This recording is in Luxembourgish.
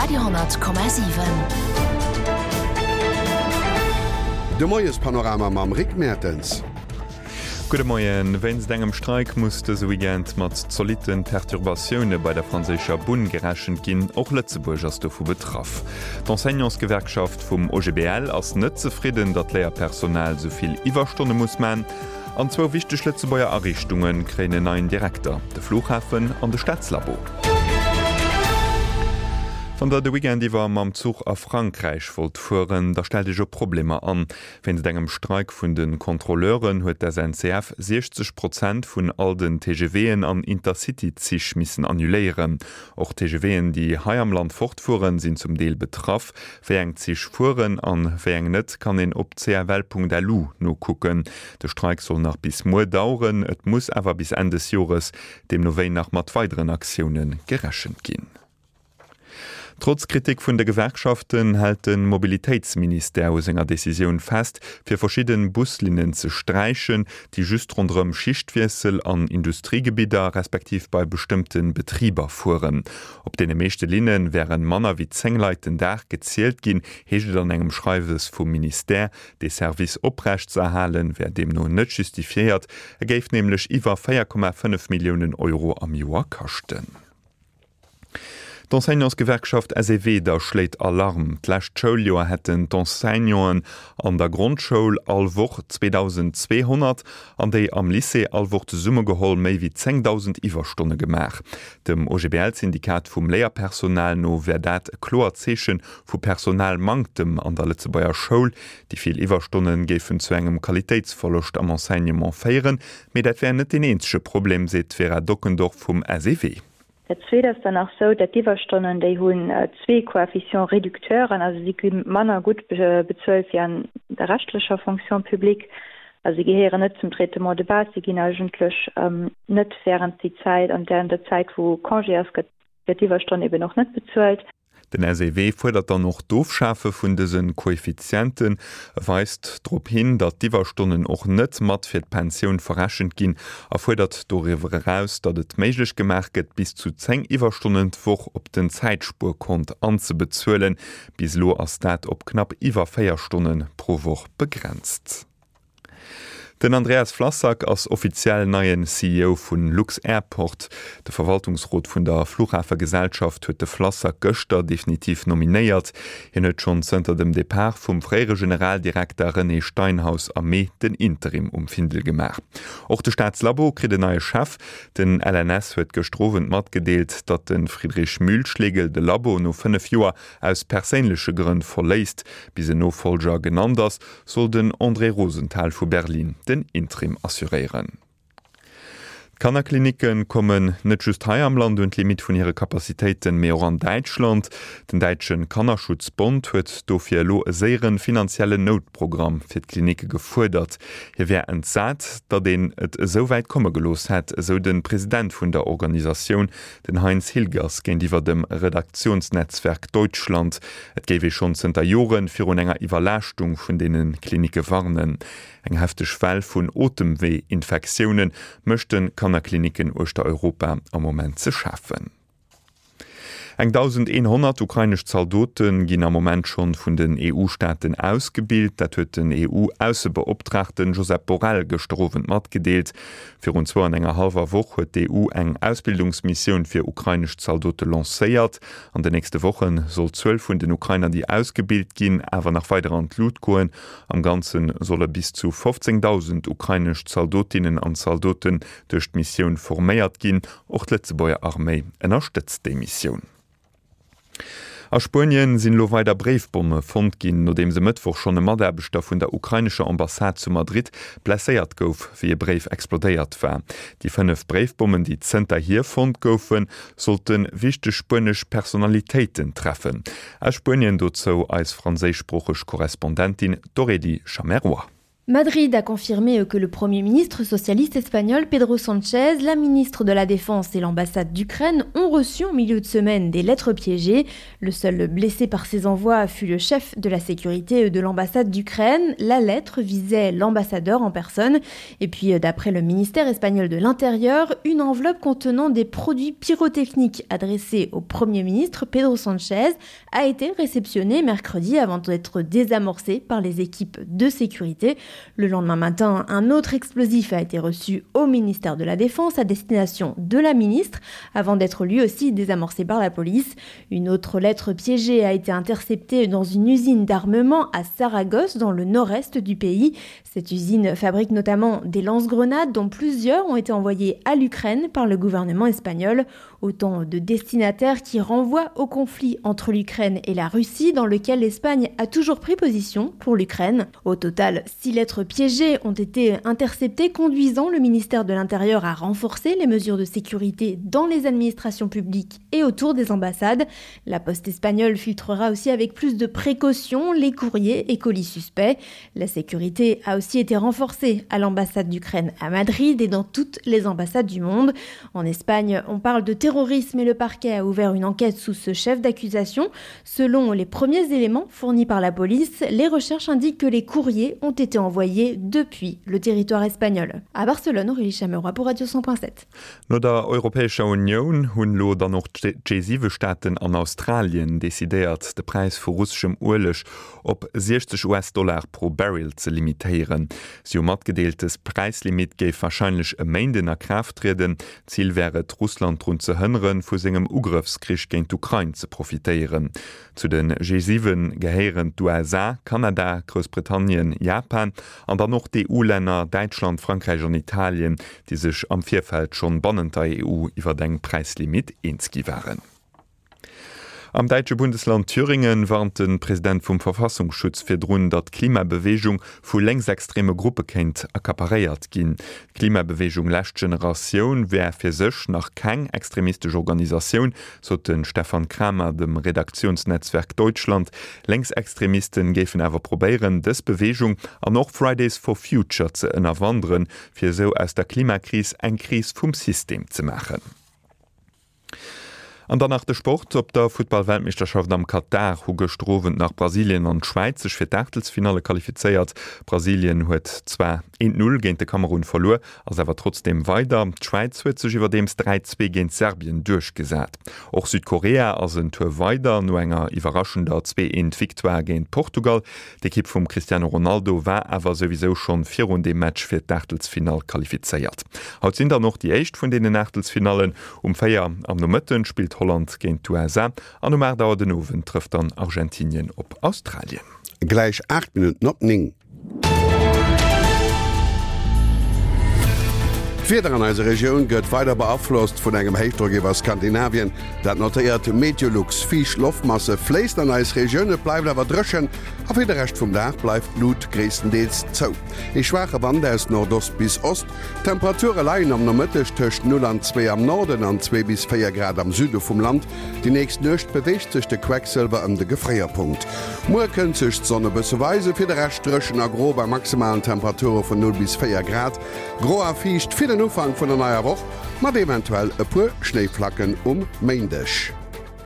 Radio,7. De Moiespanorama mam Rick Mertens. Gudde Moien. Wéinst engem Streik muss dëse Weekend mat zolitte Perturbatioune bei der franséischer Bunn gerechent ginn. Och Lëtzebuerg ass dovu betraff. D'Enseignantsgewerkschaft vum OGBL ass net zefridden, datt d'Léierpersonal sou vill Iwwerstonne muss man. An zwou wichteg Lëtzebuerger Ariichtunge kréien en neien Direkter, de Flughafen an de Staatslabo. Wann der de Weekend iwwer mam Zuch a Frankräich wollt fueren, da stellt Iech op Problemer an. Wéinst engem Streik vun de Kontrolleuren huet d'SNCF 60 Prozent vun all den TGVen an Intercity-Zich missen annuléieren. Och TGVen, déi hei am Land fortfueren, sinn zum Deel betraff. Wéi eng Zich fueren an wéi eng net, kann een op cfl.lu nokucken. De Streik soll nach bis muer daueren, et muss awer bis Enn des Jores deemno wéi nach mat weideren Aktioune gerechent ginn. Trotz Kritik vun de Gewerkschaften hält de Mobilitéitsministère u senger Decisioun fest, fir verschidde Buslinnen ze sträichen, déi just ronderëm Schichtwiessel an Industriegebidder respektiv bei bestëmmte Betriber fueren. Op deene meeschte Linne wäre manner wéi 10 Leit den Dag gezielt ginn, heescht et an engem Schreiwes vum Ministère. Dee Service oprecht ze erhalen, wär deemno net justifiéiert, e géif nämlech iwwer 4,5 Milliounen Euro am Joer kaschten. D'Enseignantsgewerkschaft SEW da schléit Alarm. D'lescht Schouljoer hätten d'Enseignanten an der Grondschoul all Woch 2.200 an déi am Lycée all Woch zesummegeholl méi wéi 10.000 Iwwerstonne gemaach. Dem OGBL-Syndikat vum Léierpersonal no wär dat e kloert Zeeche vu Personalmanktem an der Lëtzebuerger Schoul. Déi vill Iwwerstonne géifen zu engem Qualitéitsverloscht am Enseignement féieren. Mee dat wär net deen eenzege Problem, seet d'Vera Dockendorf vum SEW. Dat Zweet ass dann nach sou, dat d'Iwwerstonnen, déi hunn zwee Coefficients réducteuren, also si gi manner gutt bezuelt wéi an der reschtlecher Fonction publique. Also si gehéieren net zum Traitement de base, si ginn eigentlech net während déi Zäit, an während der Zäit wou Congé ass, gëtt d'Iwwerstonn eben och net bezuelt. Den SEW fuerdert dann och d'Ofschafe vun dëse Koeffizienten. E weist drop hin, datt d'Iwwerstonnen och net mat fir d'Pensioun verrechent ginn a fuerdert doriwwer eraus, datt et méiglech gemaach gëtt, bis zu 10 Iwwerstonnen d'Woch op den Zäitspuerkont anzebezuelen. Bis elo ass dat op knapp iwwer 4 Stonne pro Woch begrenzt. Den Andreas Flassak ass offiziell neien CEO vu lux-Airport. De Verwaltungsrot vun der Fluchhafegesellschaft huet de Flassak gëschter definitiv nominéiert. Hien huet schonn zënter dem Depart vum fréiere Generaldirekter René Steinhaus am Mee den Interim um Findel gemaach. Och de Staatslabo kritt en neie Chef. Den LNS huet gëschter Owend matgedeelt, datt de Friedrich Mühlschlegel de Labo no 5 Joer aus perséinleche Grënn verléisst. Bis en Nofollger genannt ass, soll den André Rosenthal vu Berlin den Interim assuréieren. D'Kannerklinicke kommen net just hei am Land un d'Limitt vun hire Capacitéiten, mee och an Däitschland. Den däitsche Kannerschutzbond huet dofir elo e séiere finanziellen Noutprogramm fir d'Klinicke gefuerdert. Hie wär entsat, datt een et esou wäit komme gelooss hätt, esou de President vun der Organisatioun, Den Heinz Hilgers géintiwwer dem Redaktionsnetzwerk Deutschland, et géif ee schonn zënter Jore virun enger Iwwerlaaschtung vun deene Klinicke warnen. Eng hefteg Well vun Otemwee-Infektioune mécht de Kannerklinicken uechter Europa am Moment ze schafen. Eng 1.100 ukrainesch Zaldote ginn am Moment schonn vun den EU-Staaten ausgebilt. Dat huet den EU-Aussebeoptraagten Josep Borrell gëschter Owend matgedeelt. Virun zwou an enger hallwer Woch huet d'EU eng Ausbildungsmissioun fir ukrainesch Zaldote lancéiert. An den nächste Woche soll d'Zuel vun den Ukrainer, déi ausgebilt ginn, awer nach weider an d'Lut goen. Am Ganze solle bis zu 15.000 ukrainesch Zaldotinnen an Zaldoten duerch d'Missioun forméiert ginn. Och d'Lëtzebuerger Arméi ënnerstëtzt déi Missioun. A Spuenien sinn elo weider Bréifbomme fonnt ginn, nodeems e Mëttwoch schonn e Mataarbechter vun der ukrainescher Ambassade zu Madrid blesséiert gouf, wéi e Bréif explodéiert war. Déi 5 Bréifbommen, déi zënterhier fonnt goufen, sollte wichteg spuenesch Personalitéiten treffen. Aus Spuenien dozou eis franséischsproocheg Korrespondentin d'Aurélie Chameroy. Madrid a confirmé que le premier ministre socialiste espagnol Pedro Sanchez, la ministre de la Défense et l'ambassade d'Ukraine ont reçu en milieu de semaine des lettres piégées. Le seul blessé par ces envois fut le chef de la sécurité de l'ambassade d'Ukraine. La lettre visait l'ambassadeur en personne. Et puis euh, d'après le ministère espagnol de l'Intérieur, une enveloppe contenant des produits pyrotechniques adressés au premier ministre Pedro Sanchez a été réceptionnée mercredi avant d'être désamorcée par les équipes de sécurité. Le lendemain matin, un autre explosif a été reçu au ministère de la Défense à destination de la ministre avant d'être lui aussi désamorcé par la police. Une autre lettre piégée a été interceptée dans une usine d'armement à Saragosse dans le nord-est du pays. Cette usine fabrique notamment des lance-grenades dont plusieurs ont été envoyées à l'Ukraine par le gouvernement espagnol. Autant de destinataires qui renvoient au conflit entre l'Ukraine et la Russie dans lequel l'Espagne a toujours pris position pour l'Ukraine. Au total, six lettres piégées ont été interceptées conduisant le ministère de l'Intérieur à renforcer les mesures de sécurité dans les administrations publiques et autour des ambassades. La poste espagnole filtrera aussi avec plus de précautions les courriers et colis suspects. La sécurité a aussi été renforcée à l'ambassade d'Ukraine à Madrid et dans toutes les ambassades du monde. En Espagne, on parle de terrorisme et le parquet a ouvert une enquête sous ce chef d'accusation. Selon les premiers éléments fournis par la police, les recherches indiquent que les courriers ont été envoyés depuis le territoire espagnol. À Barcelone, Aurélie Chameroy pour Radio 100.7. No der Europäescher Unioun hunn elo dann och d'G7-Staaten an Australien decidéiert, de Präis vu russeschem Ueleg op 60 US-Dollar pro Barrel ze limitéieren. Si hu matgedeelt, dës Präislimit géif warscheinlech e Méinden a Kraaft trieden. Zil wär et, Russland drun ze hënneren, vu sengem Ugrëffskrich géint d'Ukrain ze profitéieren. Zu de G7 gehéieren d'USA, Kanada, Groussbritannien, Japan an dann och d'EU-Länner Däitschland, Frankräich an Italien, déi sech am Virfeld schonn bannent der EU iwwer eng Präislimit eens gi waren. Am däitsche Bundesland Thüringen warnt de President vum Verfassungsschutz virdrun, datt d'Klimabeweegung vu lénksextreme Gruppe kéint accaparéiert ginn. D'Klimabeweegung Lescht Generatioun wär fir sech nach keng extremistesch Organisatioun, sot de Stefan Kramer dem Redaktionsnetzwerk Deutschland. Lénksextremisten géifen awer probéieren, dës Beweegung an och Fridays for Future ze ënnerwanderen, fir esou aus der Klimakris eng Kris vum System ze maachen. An dann nach de Sport, Op der Futtball-Weltmeeschterschaft am Katar hu gëschter Owend nach Brasilien an d'Schwäiz sech fir d'Aachtelsfinalle qualifizéiert. Brasilien huet zwar 1, 0 géint de Kamerun verluer, ass awer trotzdeem weider. D'Schwäiz huet sech iwwerdeems 3, 2 géint Serbien duerchgesat. Och Südkorea ass en Tour weider no enger iwwerraschender 2, 1 Victoire géint Portugal. D'Ekipp vum Cristiano Ronaldo war awer souwisou schonn virun deem Match fir d'Aachtelsfinall qualifizéiert. Haut sinn dann och déi éischt vun deenen Aachtelsfinallen. Um 4 am Nomëtten spillt Holland géint d'USA an um 8 Auer den Owend trëfft dann Argentinien op Australien. Gläich 8 Minutten op 9. D'Wieder an eiser Regioun gëtt weider beaflosst vun engem Héichdrock iwwer Skandinavien. Dat notéiert Meteolux. Fiicht Loftmasse fléisst an eis Regioun, et bleift awer dréchen a fir de Rescht vum Dag bleift d'Lut gréisstendeels zou. Ee schwaache Wand aus Nordost bis Ost. D'Temperature leien am Nomëtteg tëscht 0 an 2 am Norden an 2 bis 4 Grad am Süde vum Land. Déi nächst Nuecht beweegt sech de Quecksëlwer ëm de Gefréierpunkt. Muer kënnt sech d'Sonn e bësse weisen, fir de Rescht dréchen a gro bei maximalen Temperature vun 0 bis 4 Grad. Gro a fiicht fir den Ufank vun der neier Woch, mat eventuell e puer Schnéiflacken um Méindeg.